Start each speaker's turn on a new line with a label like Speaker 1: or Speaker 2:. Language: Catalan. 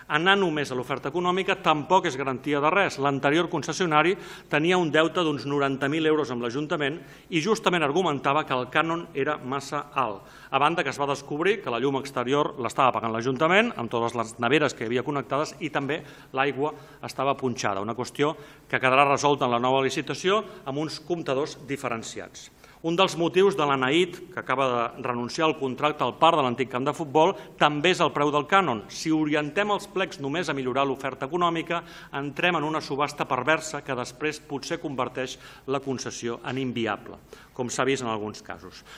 Speaker 1: Anar només a l'oferta econòmica tampoc és garantia de res. L'anterior concessionari tenia un deute d'uns 90.000 euros amb l'Ajuntament i justament argumentava que el cànon era massa alt. A banda que es va descobrir que la llum exterior l'estava pagant l'Ajuntament, amb totes les neveres que hi havia connectades, i també l'aigua estava punxada, una qüestió que quedarà resolta en la nova licitació amb uns comptadors diferenciats. Un dels motius de l'Anaït, que acaba de renunciar al contracte al parc de l'antic camp de futbol, també és el preu del cànon. Si orientem els plecs només a millorar l'oferta econòmica, entrem en una subhasta perversa que després potser converteix la concessió en inviable, com s'ha vist en alguns casos.